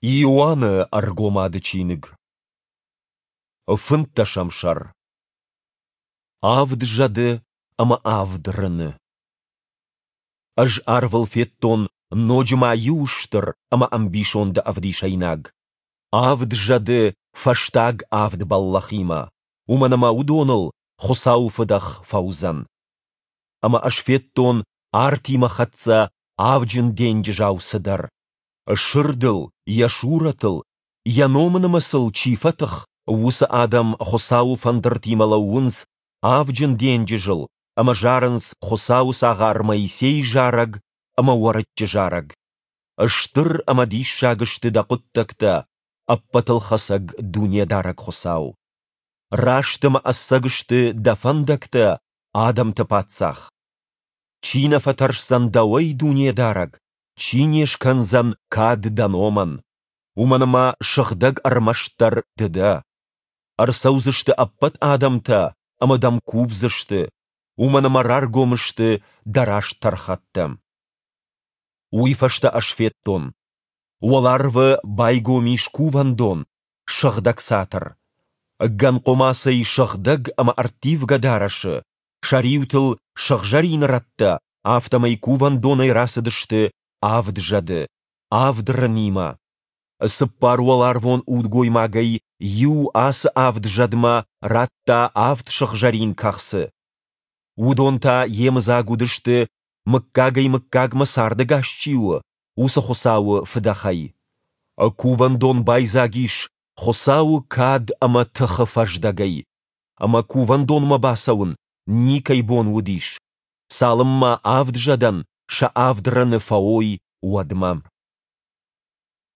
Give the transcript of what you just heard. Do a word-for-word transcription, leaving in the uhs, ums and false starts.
Иоанны Ӕргомады чиныг. Фынддӕсӕм сӕр. Авд зӕды ӕмӕ авд рыны. Ӕз арвыл федтон ноджы ма иу стыр ӕмӕ ӕмбисонды ӕвдисӕйнаг. Авд зӕды фӕстаг авд бӕллӕхимӕ, уымӕн ӕмӕ уыдоныл Хуыцауы фыдӕх фӕуыдзӕн. Ӕмӕ ӕз федтон артимӕ хӕццӕ авджын денджызау цыдӕр. Сырдыл, йӕ сурӕтыл, йӕ номы нымӕцыл чи фӕтых, уыцы адӕм Хуыцауы фӕндыртимӕ лӕууынц авджын денджызыл ӕмӕ зарынц Хуыцауы цагъар Моисейы зарӕг ӕмӕ Уӕрыччы зарӕг. Стыр ӕмӕ диссаг сты дӕ хъуыддӕгтӕ, Ӕппӕтылхӕцӕг Дунедарӕг Хуыцау. Раст ӕмӕ ӕцӕг сты дӕ фӕндӕгтӕ, адӕмты паддзах. Чи нӕ фӕтӕрсдзӕн дӕуӕй, Дунедарӕг, чи не скӕндзӕн кад дӕ номӕн? Уымӕн ӕмӕ сыгъдӕг ӕрмӕстдӕр ды дӕ. Ӕрцӕудзысты ӕппӕт адӕмтӕ ӕмӕ дӕм кувдзысты, уымӕн ӕмӕ раргом сты дӕ раст тӕрхӕттӕ. Уый фӕстӕ ӕз федтон, уӕларвы байгом ис кувӕндон, сыгъдӕг цатыр. Гӕн хъуымацӕй сыгъдӕг ӕмӕ ӕрттивгӕ дарӕсы, сӕ риутыл сыгъзӕрин рӕттӕ, афтӕмӕй кувӕндонӕй рацыдысты авд зӕды, авд рынимӕ. Цыппар уӕларвон удгоймагӕй иу ацы авд зӕдмӕ радта авд сыгъзӕрин кӕхцы. Уыдон та йемыдзаг уыдысты, мыггагӕй-мыггагмӕ цардӕгас чи у, уыцы Хуыцауы фыдӕхӕй. Кувӕндон байдзаг ис Хуыцауы кад ӕмӕ тыхы фӕздӕгӕй, ӕмӕ кувӕндонмӕ бацӕуын никӕй бон уыдис, цалынмӕ авд зӕдӕн сӕ авд рыны фӕуой, уӕдмӕ.